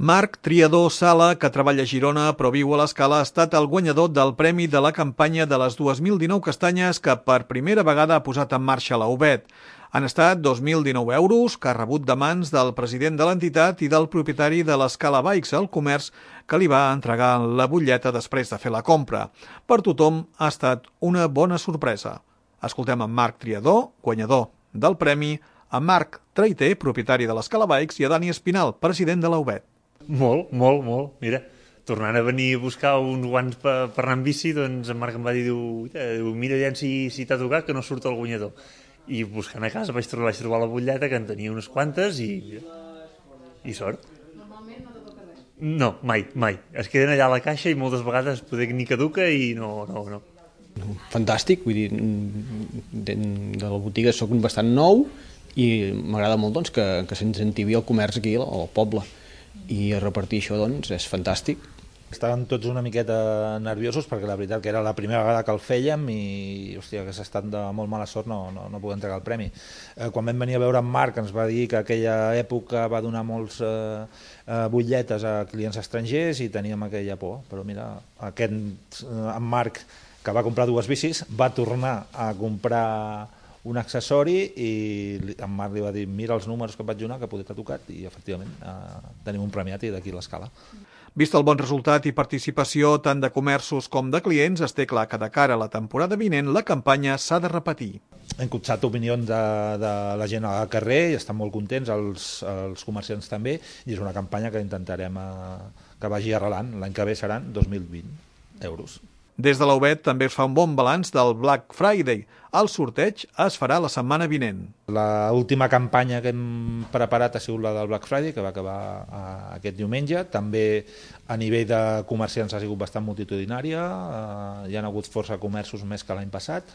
Marc Triador Sala, que treballa a Girona però viu a l'Escala, ha estat el guanyador del premi de la campanya de les 2019 castanyes que per primera vegada ha posat en marxa la UBET. Han estat 2.019 euros que ha rebut de mans del president de l'entitat i del propietari de l'Escala Bikes al Comerç, que li va entregar la butlleta després de fer la compra. Per tothom ha estat una bona sorpresa. Escoltem en Marc Triador, guanyador del premi, a Marc Traiter, propietari de l'Escala Bikes, i a Dani Espinal, president de la UBET. Molt. Mira, tornant a venir a buscar uns guants per anar amb bici, doncs en Marc em va dir, mira aviam si t'ha tocat, que no surt el guanyador. I buscant a casa vaig trobar la butlleta, que en tenia unes quantes, i sort. Normalment no te toca res? No, mai. Es queden allà a la caixa i moltes vegades poder ni caduca i no. Fantàstic, vull dir, de la botiga soc bastant nou i m'agrada molt doncs, que s'incentivi el comerç aquí al poble, i a repartir això doncs, és fantàstic. Estàvem tots una miqueta nerviosos perquè la veritat que era la primera vegada que el fèiem i hòstia, que s'ha estat de molt mala sort no poder entregar el premi. Quan vam venir a veure en Marc ens va dir que aquella època va donar molts butlletes a clients estrangers i teníem aquella por, però mira, en Marc, que va comprar 2 bicis, va tornar a comprar un accessori i en Marc li va dir mira els números que et vaig donar que poder t'ha tocat i efectivament tenim un premiat i d'aquí l'escala. Vist el bon resultat i participació tant de comerços com de clients, es té clar que de cara a la temporada vinent la campanya s'ha de repetir. Hem copsat opinions de la gent al carrer i estan molt contents, els comerciants també, i és una campanya que intentarem que vagi arrelant. L'any que ve seran 2.020 euros. Des de la UBET també es fa un bon balanç del Black Friday. El sorteig es farà la setmana vinent. L'última campanya que hem preparat ha sigut la del Black Friday, que va acabar aquest diumenge. També a nivell de comerciants ha sigut bastant multitudinària, hi ha hagut força comerços més que l'any passat,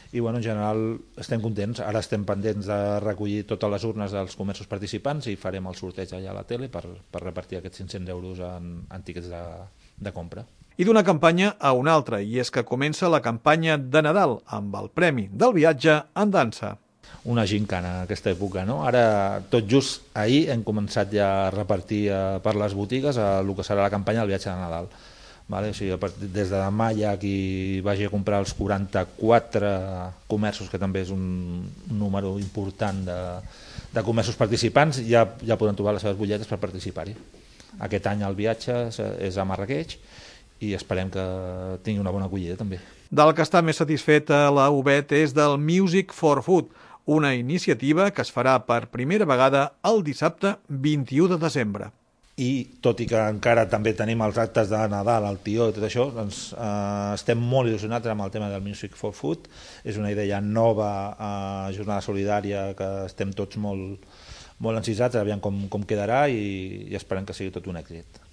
i bueno, en general estem contents. Ara estem pendents de recollir totes les urnes dels comerços participants i farem el sorteig allà a la tele per repartir aquests 500 euros en tiquets de compra. I d'una campanya a una altra, i és que comença la campanya de Nadal amb el premi del viatge en dansa. Una gincana aquesta època, no? Ara, tot just ahir hem començat ja a repartir per les botigues el que serà la campanya del viatge de Nadal. Vale? O sigui, des de demà hi ha qui vagi a comprar els 44 comerços, que també és un número important de comerços participants, ja poden trobar les seves butlletes per participar-hi. Aquest any el viatge és a Marrakeix, i esperem que tingui una bona acollida també. Del que està més satisfeta la UBET és del Music for Food, una iniciativa que es farà per primera vegada el dissabte 21 de desembre. I tot i que encara també tenim els actes de Nadal, el tió i tot això, doncs estem molt il·lusionats amb el tema del Music for Food. És una idea nova, jornada solidària, que estem tots molt encisats, aviam com quedarà, i esperem que sigui tot un èxit.